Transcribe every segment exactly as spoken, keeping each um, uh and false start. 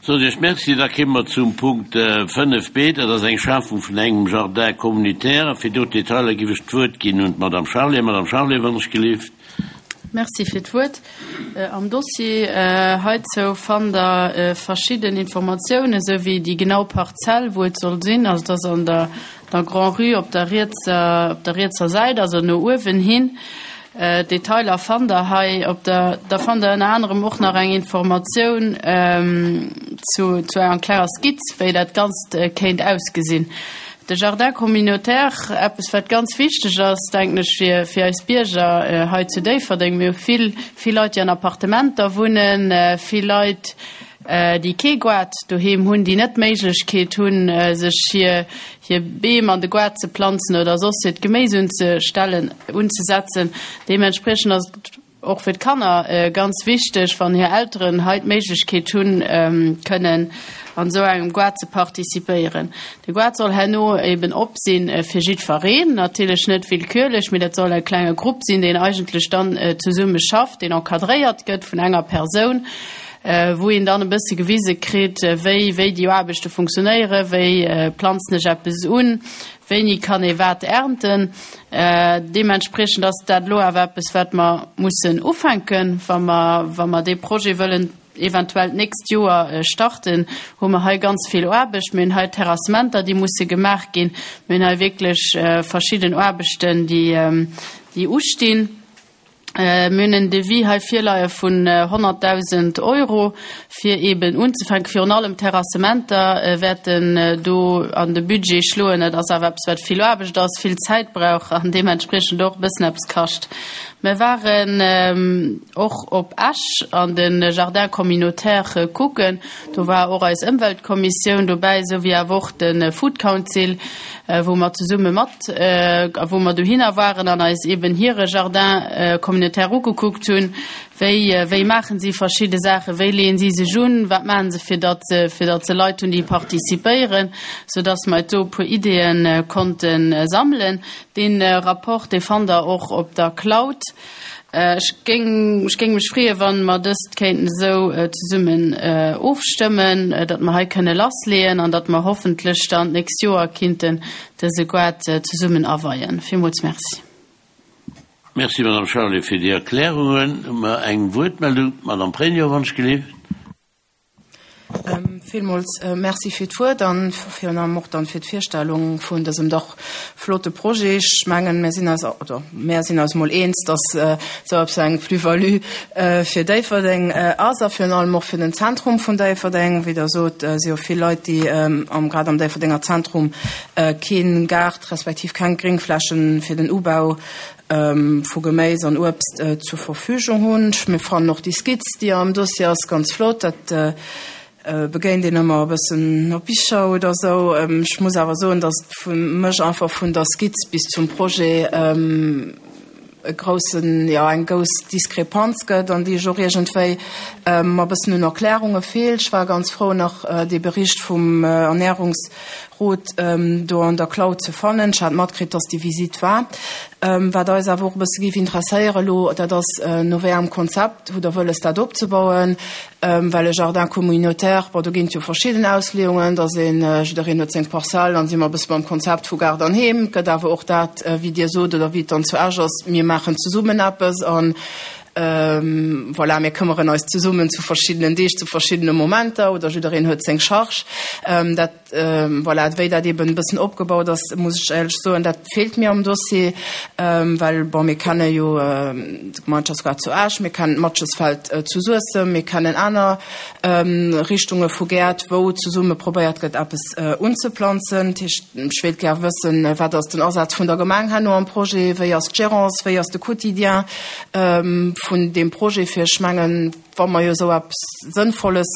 Soen Iech Merci. Da kéime mer zum Punkt fënnef b, dat ass eng Schafung vun engem Jardin communautaire. A fir do d'Detailer giff ech d'Wuert ginn un d'Madame Charlé. Madame Charlé, wann ech gelift. Merci fir d'Wuert. Am Dossier heizou fannt Der verschidden Informatiounen, esou wéi déi genau Parzell, wou et soll sinn. Also et ass an der der Grand-Rue op der rietser, op der rietser Säit, also no uewen hin. D'Detailer fannt der hei op der. Da fannt der ënner anerem och nach eng Informatioun zu, zu enger klenger Skizz, wéi dat Ganzt kéint ausgesinn. De Jardin communautaire, eppes wat ganz wichteg ass, denken ech, fir, fir eis Bierger hei zu Déifferdeng. Mir hu vill, vill Leit, déi an Appartementer wunnen, vill Leit, déi kee Goart doheem hunn, déi net d'Méiglechkeet hunn, sech hir, hir Beem an de Goart ze planzen oder soss hiert Geméis unzestellen, unzesetzen. Deementspriechend ass et och fir d'Kanner ganz wichteg, wann hir Elteren hei d'Méiglechkeet hunn, kënnen an esou engem Goart ze participéieren. De Goart soll herno eben op sinn fir jiddwereen, natierlech net willkürlech, mee dat soll e klenge Grupp sinn, deen eigentlech dann zesumme schafft, deen encadréiert gëtt vun enger Persoun, wou een dann e bësse gewise kritt, wéi wéi déi Aarbechte funktionéieren, wéi planzen ech eppes un, wéini kann ee wat ernten. Deementspriechend ass dat elo awer eppes, wat mer mussen ufänken, wa mer wa mer dee Projet wëllen eventuell d'nächst Joer starten, hu mer hei ganz vill Aarbecht. Mir hunn hei Terrassementer, déi musse gemaach ginn. Mir hunn hei wierklech verschidden Aarbechten, déi déi ustinn. Mir hunn en Devis hei virleie vun honnertdausend Euro, fir eeben unzefänken. Virun allem d'Terrassementer wäerten do an de Budget schloen. Dat ass awer eppes, wat vill Aarbecht ass, vill Zäit brauch an deementspriechend och e bëssen eppes kascht. Mir waren och op Esch an de Jardin communautaire kucken. Do war och eis Ëmweltkommissioun dobäi, esou wéi awer och de Food Council, wou mer zesumme mat, a wou mer dohinner waren an eis eeben hire Jardin communautaire ugekuckt hunn. Wéi, wéi maachen si verschidde Saachen, wéi leeën si sech un, wat maachen se, fir datt se, fir datt se Leit hunn, déi participéieren, soudatt mer do e puer Ideeë konnte sammelen. Dee Rapport, dee fannt Der och op der Cloud. Ech géing, ech géing mech freeën, wa mer dëst kéinten esou zesummen ofstëmmen, datt mer hei kënne lassleeën an datt mer hoffentlech dann d'nächst Joer kinnten dëse Goart zesummen aweien. Villmools Merci. Merci, Madame Charlé, fir déi Erklärungen. Hu mer eng Wuertmeldung? D'Madame Pregno, wann ech gelift. Villmools Merci fir d'Wuert an virun allem och dann fir d'Virstellung vun dësem dach flotte Projet. Ech mengen, mir sinn eis, oder mär sinn eis mol eens, dass esou eppes eng Plus-value fir Déifferdeng ass a virun allem och fir den Zentrum vun Déifferdeng. Wéi Der sot, si jo vill Leit, déi am, grad am Déifferdenger Zentrum kee Gaart respektiv keng Gréngflächen fir den Ubau vu Geméis an Uebst zur Verfügung hunn. Mir fannen och déi Skizz, déi am Dossier ass, ganz flott. Dat begéint een ëmmer e bëssen op Bicher oder esou. Ech muss awer soen, datt et fir mech einfach vun der Skizz bis zum Projet e groussen, jo, eng grouss Diskrepanz gëtt an déi ech och iergendwéi mer e bëssen un Erklärunge feelt. Ech war ganz frou, nach dee Bericht vum Ernährungsrot do an der Cloud ze fannen. Ech hat matkritt, datt déi Visitt war. Wat eis awer och e bësse géif interesséieren elo, dat ass, no wéi engem Konzept hutt Der wëlles, dat opzebauen? Well e Jardin communautaire, bon, do ginn et jo verschidden Ausleeungen, dass een, jiddereen huet seng Parzell, dann si mer e bësse beim Konzept vu Gaart an Heem. Et gëtt awer och dat, wéi Dir sot oder wéi et dann zu Esch ass, mir maachen zesummen eppes an, voilà, mir këmmeren eis zesummen zu verschiddenen Deeg, zu verschiddene Momenter oder jiddereen huet seng Charge. Dat, voilà, wéi dat eeben e bëssen opgebaut ass, muss ech éierlech soen, dat feelt mir am Dossier, well, bon, mir kenne jo de Gemeinschaftsgaart zu Esch, mir kennen d'Matschesfeld zu Suessem, mir kennen aner Richtunge vu Gäert, wou zesumme probéiert gëtt, eppes unzeplanzen. Dat heescht, ech wéilt gär wëssen, wat ass den Asaz vun der Gemeng herno am Projet, wéi ass d'Gérance, wéi ass de Quotidien vun deem Projet, fir ech mengen, wa mer jo esou eppes Sënnvolles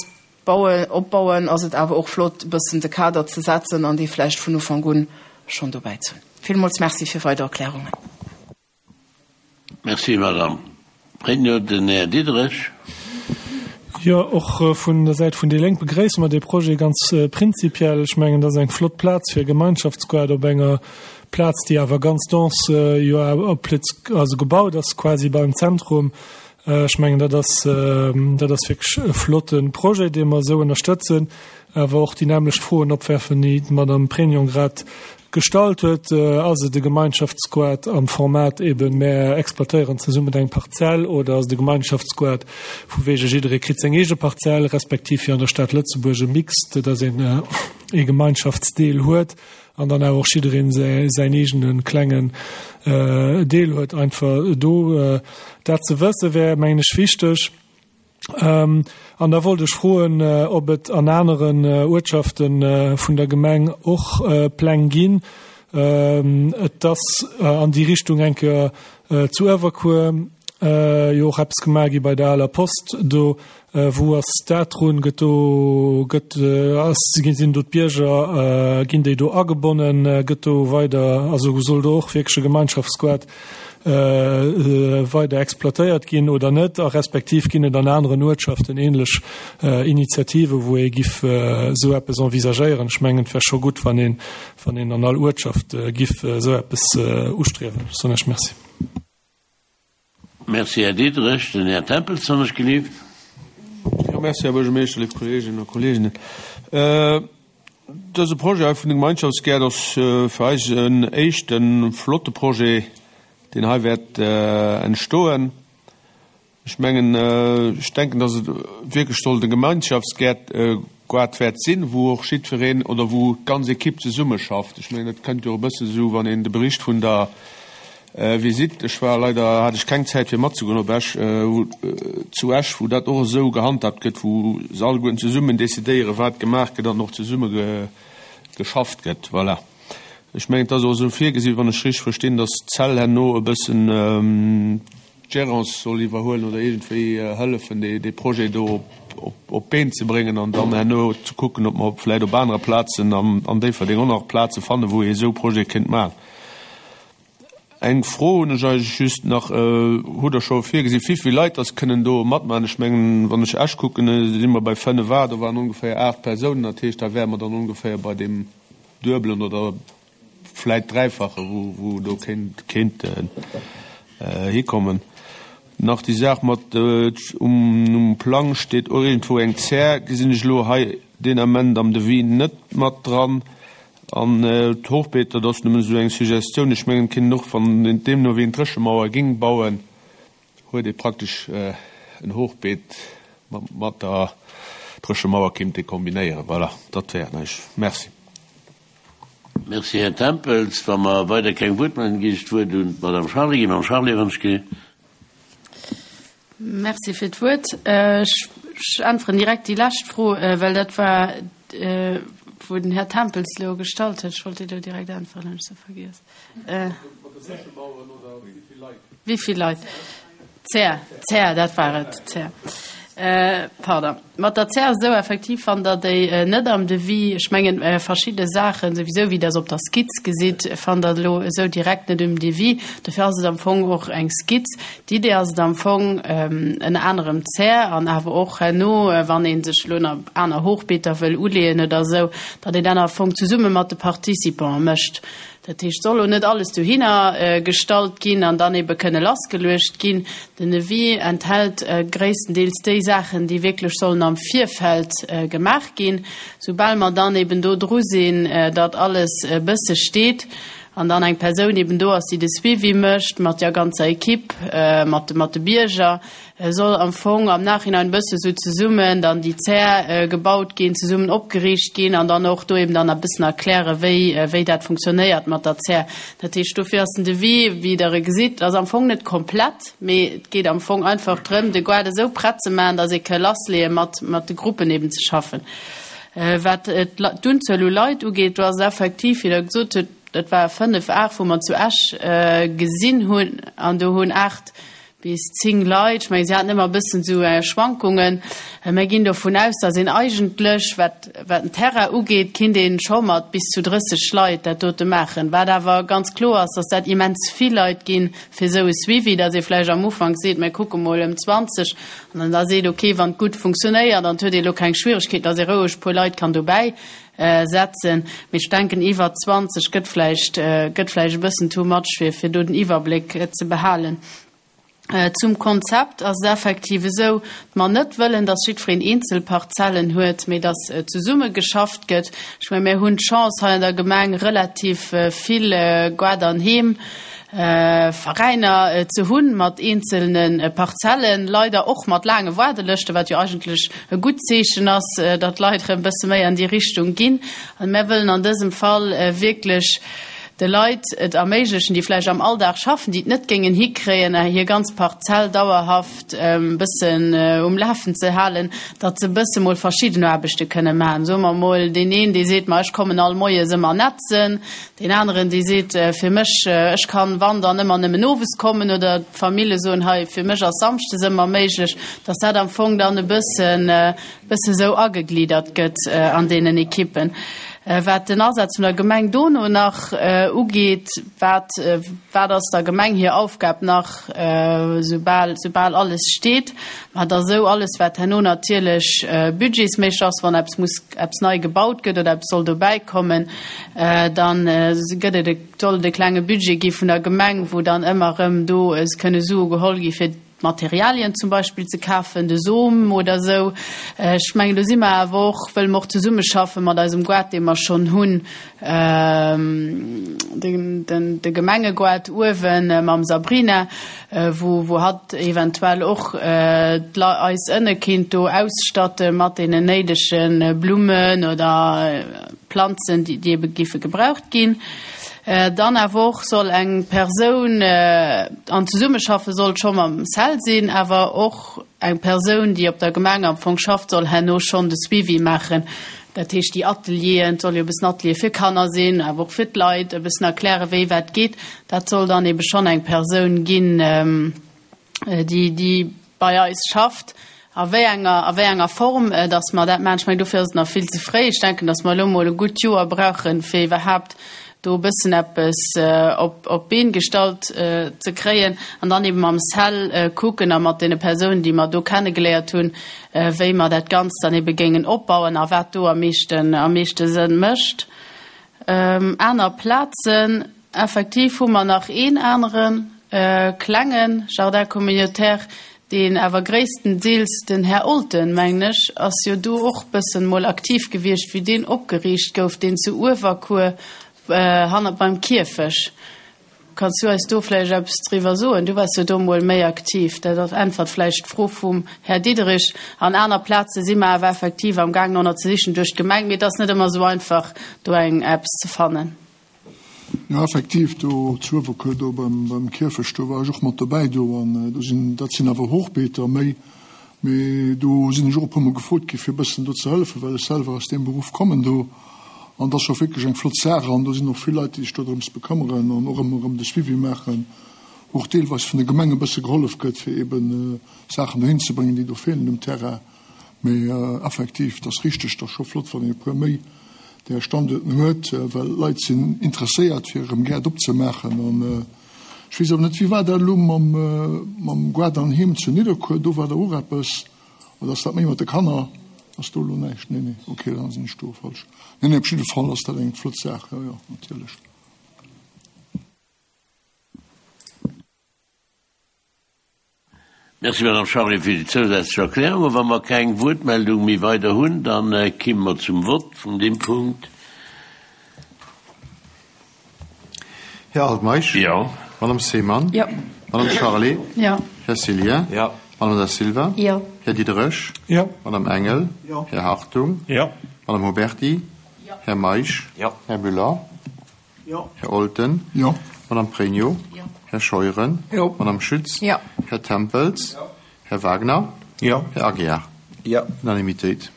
bauen, opbauen, ass et awer och flott, e bëssen de Kader ze setzen an dee vläicht vun Ufank un schonn dobäi ze hunn. Villmools Merci fir weider Erklärungen. Merci, Madame Pregno. Den Här Diderich. Jo, och vun der Säit vun déi Lénk begréisse mer dee Projet ganz prinzipiell. Ech mengen, dat ass eng flott Plaz fir e Gemeinschaftsgoart op enger Plaz, déi awer ganz dense jo also gebaut ass, quasi beim Zentrum. Ech mengen, dat ass, dat ass wierklech e flotte Projet, dee mer esou ënnerstëtzen, awer och déi nämmlecht Froen opwerfen, déi d'Madame Pregnon grad gestallt huet. Ass et e Gemeinschaftsgoart am Format eben, mär exploitéieren zesummen eng Parzell, oder ass et e Gemeinschaftsgoart vu wege jidderee kritt seng eege Parzell, respektiv wéi an der Stad Lëtzebuerg e Mixte, dass een e Gemeinschaftsdeel huet an dann awer och jiddereen säin eegene klengen Deel huet. Einfach do dat ze wësse wär, mengen ech, wichteg. An da wollt ech froen, ob et an aneren Uertschafte vun der Gemeng och Pläng ginn. Et ass an déi Richtung eng Kéier zu Uewerkuer jo och eppes gemaach gi bei der aler Post do. Wou ass dat drun? Gëtt do, gëtt, ass, sinn do d'Bierger, ginn déi do agebonnen? Gëtt do weider, also soll do och wierklech e Gemeinschaftsgoart weider exploitéiert ginn oder net? A respektiv ginn et an aneren Uertschaften ähnlech Initiative, wou ee giff esou eppes envisagéieren? Ech mengen, et wär scho gutt, wann een, wann een an all Uertschaft giff esou eppes ustriewen. Ech soen Iech Merci. Merci, Här Diderich. Den Här Tempels hunn ech gelift. Jo, merci, Här Buergermeeschter, léif Kolleeginnen a Kolleegen. Dëse Projet hei vun de Gemeinschaftsgäert ass fir eis en éischte flotte Projet, deen hei wäert entstoen. Ech mengen, ech denken, dass et wierklech sollt e Gemeinschaftsgäert Goart wäert sinn, wou och jiddwereen oder wou d'ganz Ekipp zesummeschafft. Ech mengen, dat kënnt jo och e bësse sou, wann een de Bericht vun der Visitt, ech war leider, hat ech keng Zäit fir matzegoen op Esch, wou zu Esch, wou dat och esou gehandhabt gëtt, wou se alleguerten zesummen decidéieren, wat gemaach gëtt an och zesumme geschafft gëtt. Voilà. Ech mengen, et ass och esou virgesinn, wann ech richteg verstinn, dass d'Zell herno e bëssen d'Gérance soll iwwerhuelen oder iergendwéi hëllefen, dee Projet do op d'Been ze bréngen an dann herno ze kucken, ob mer vläicht op anere Plazen an Déifferdeng och nach Plaze fannen, wou ee esou Projete kéint maachen. Eng Fro hunn ech eigentlech just nach, Hutt Der scho virgesinn, wéi vill Leit dass kënnen do matmaachen? Ech mengen, wann ech Esch kucken, si mer bei fënnef a, do waren ongeféier aacht Persounen. Dat heescht, da wäre mer dann ongeféier bei deem Duebelen oder vläit Dräifache, wou do kéint hikommen. Nach déi Saach mat, um Plang steet och iergendwou eng Zär, gesinn ech elo hei deen Ament am Devis net mat dran. An d'Hochbeeter, dat ass nëmmen esou eng Suggestioun, ech mengen, et kéint een och, wann een deemno wéi een Dréchemauer géing bauen, huet ee praktesch en Hochbeet mat der Dréchemauer kéint ee kombinéieren. Voilà, dat wär et eigentlech. Merci. Merci, Här Tempels. Wa mer weider keng Wuertmeldungen ginn ech d'Wuert un d'Madame Charlé. Madame Charlé, wann ech ge. Merci fir d'Wuert. Ech äntweren direkt déi lescht Fro, well dat war, wou den Här Tempels elo gestallt huet. Ech wollt déi elo direkt äntweren, hunn ech se vergiess. Wéi vill Leit? Zär, Zär, dat war et, Zär. Pardon. Mat der Zär ass et esou, effektiv fannt Der déi net am Devis. Ech mengen, verschidde Saachen, souwisou wéi Der se op der Skizz gesitt, fannt Der elo esou direkt net um Devis. Dofir ass et am Fong och eng Skizz. D'Idee ass et am Fong, ënner anerem d'Zär an awer och herno, wann ee sech elo nach aner Hochbeeter wëll uleeën oder esou, datt een dat am Fong zesumme mat de Participante mécht. Dat heescht, soll elo net alles dohinner gestallt ginn an dann ebe kënne lassgeluecht ginn. Den Devis enthält gréisstendeels déi Saachen, déi wierklech sollen am Virfeld gemaach ginn. Soubal mer dann eben do dru sinn, datt alles e bësse steet an dann eng Persoun eben do ass, déi de Suivi mécht mat der ganzer Equipe, mat de Bierger, soll am Fong am Nachhinein e bësse sou zesummen dann déi Zär gebaut ginn, zesummen opgeriicht ginn an dann och do eben dann e bëssen erklären, wéi, wéi dat funktionéiert mat der Zär. Dat heescht, dofir ass den Devis, wéi Der e gesitt, ass am Fong net komplett, mee et geet am Fong einfach drëm, de Goart esou prett ze maachen, dass ee ka lassleeë mat, mat de Gruppen eben ze schaffen. Wat d'Unzuel u Leit ugeet, do ass et effektiv, wéi Der gesot hutt, dat ware fënnef, aacht, wou mer zu Esch gesinn hunn an do hunn aacht bis zéng Leit, ech mengen, si haten ëmmer e bëssen esou Schwankungen. Mir ginn dovun aus, datt een eigentlech, wat wat den Terrain ugeet, kinnt ee scho mat bis zu drësseg Leit dat dote maachen. Wat awer ganz kloer ass, datt dat immens vill Leit ginn fir esou e Suivi, datt ee vläicht am Ufank seet, mir kucke mol ëm zwanzeg an dann da seet, okay, wann et gutt funktionéiert an et huet ee elo keng Schwieregkeeten, datt ee roueg e puer Leit kann dobäi setzen. Mee ech denken, iwwer zwanzeg gëtt vläicht gëtt vläicht e bëssen too much, fir fir do den Iwwerbléck ze behalen. Zum Konzept ass et effektiv esou, datt mer net wëllen, datt jiddwereen eenzel Parzellen huet, mee datt zesumme geschafft gëtt. Ech mengen, mir hunn d'Chance hei an der Gemeng relativ vill Gaart an Heem Veräiner ze hunn mat eenzelne Parzellen, leider och mat laange Waardelëschten, wat jo eigentlech e gutt Zeechen ass, datt d'Leit erëm e bësse méi an déi Richtung ginn. An mir wëllen an dësem Fall wierklech de Leit et erméiglechen, déi vläicht am Alldag schaffen, déi et net géingen hikréien, hir ganz Parzell dauerhaft e bëssen um Lafen ze halen, datt se e bësse mol verschidden Aarbechte kënne maachen. Soe mer mol, deen een, dee seet, ma ech kommen all moies ëmmer nätzen, deen aneren, dee seet, fir mech, ech kann, wann, dann ëmmer nëmmen owes kommen, oder d'Famille soen, hei, fir mech ass samschdes ëmmer méiglech, datt dat am Fong dann e bëssen, bësse sou agegliddert gëtt an deenen Ekippen. Wat den Asaz vun der Gemeng dono nach ugeet, wat, wat ass der Gemeng hir Aufgab nach, soubal, soubal alles steet? Ma da sou alles, wat herno natierlech budgetsméisseg ass, wann eppes muss, eppes nei gebaut gëtt oder eppes soll dobäi kommen, da gëtt et e, soll et e klenge Budget gi vun der Gemeng, wou dann ëmmer erëm do kënne Sue geholl gi fir Materialien zum Beispill ze kafen, de Som oder esou. Ech mengen, do si mer awer och, wëlle mer och zesummeschaffe mat eisem Goart, dee mer schonn hunn, de Gemengegoart uewe mam Sabrina, wou wou hatt eventuell och eis ënne kinnt do ausstatte mat deenen néidege Blummen oder Planzen, déi ebe géife gebraucht ginn. Dann awer och soll eng Persoun, an zesummeschaffe sollt scho mam CEL sinn, awer och eng Persoun, déi op der Gemeng am Fong schafft, soll herno schonn de Suivi maachen. Dat heescht, déi Atelieren, et soll jo e bëssen Atelier fir Kanner sinn, awer och fir d'Leit, e bëssen erklären, wéi wat geet. Dat soll dann ebe schonn eng Persoun ginn, déi, déi bei eis schafft. A wéi enger, a wéi enger Form, dass mer dat maachen, ech mengen, dofir ass et nach vill ze fréi. Ech denken, dass mer elo emol e gutt Joer brauchen, fir iwwerhaapt do e bëssen eppes op, op d'Been gestallt ze kréien an dann eben mam CEL kucken a mat deene Persounen, déi mer do kennegeléiert hunn, wéi mer dat Ganzt dann ebe géingen opbauen a wat do am meeschten, am meeschte Sënn mécht. Aner Plazen, effektiv hu mer nach een anere klenge Jardin communautaire, deen awer gréisstendeels, den Här Olten, mengen ech, ass jo do och bëssen mol aktiv gewiescht, wéi deen opgeriicht gouf, deen zu Uewerkuer hannert beim Kierfech. Kanns du eis do vläicht eppes driwwer soen? Du waars jo do mol méi aktiv. Dat äntwert vläicht d'Fro vum Här Diderich. An aner Plaze si mer awer effektiv am Gaang no ze sichen duerch d'Gemeng, mee et ass net ëmmer esou einfach, do eng eppes ze fannen. Jo, effektiv, do zu Uewerkuer, do beim, beim Kierfecht, do war ech och mat dobäi do an do sinn, dat sinn awer Hochbeeter méi, mee do sinn ech och e puermol gefrot gi fir e bëssen do ze hëllefen, well ech selwer aus deem Beruff kommen do an dat ass scho wierklech eng flott Saach an do sinn och vill Leit, déi sech do drëms bekëmmeren an och ëmmer erëm de Suivi maachen, wou och deelweis vun de Gemenge e bësse gehollef gëtt, fir eeben Saachen dohin ze bréngen, déi do feelen um Terrain. Mee effektiv, dat ass richteg, dat ass scho flott, wann een e puer méi där Standuerten huet, well d'Leit sinn interesséiert, fir erëm Gäert opzemaachen. An ech weess awer net, wéi war dat elo mam, mam Gaart an Heem zu Nidderkuer? Do war der och eppes, oder ass dat méi mat de Kanner? Ass do elo näischt? Nee, nee, okay, da sinn ech do falsch. Nee, nee, op jidde Fall ass dat eng flott Saach, jo, jo, natierlech. Merci, Madame Charlé, fir déi zousätzlech Erklärung. A wa mer keng Wuertmeldung méi weider hunn, da kimme mer zum Vott vun deem Punkt. Här Altmeisch. Jo. Madame Seemann. Jo. Madame Charlé. Jo. Här Cillien. Jo. Madame Da Silva. Jo. Här Diderich. Jo. Madame Engel. Jo. Här Hartung. Jo. Madame Huberty. Jo. Här Meisch. Jo. Här Müller. Jo. Här Olten. Jo. Madame Pregno. Jo. Här Scheuren. Jo. Madame Schütz. Jo. Här Tempels. Jo. Här Wagner. Jo. Här Aguiar. Jo. Unanimitéit.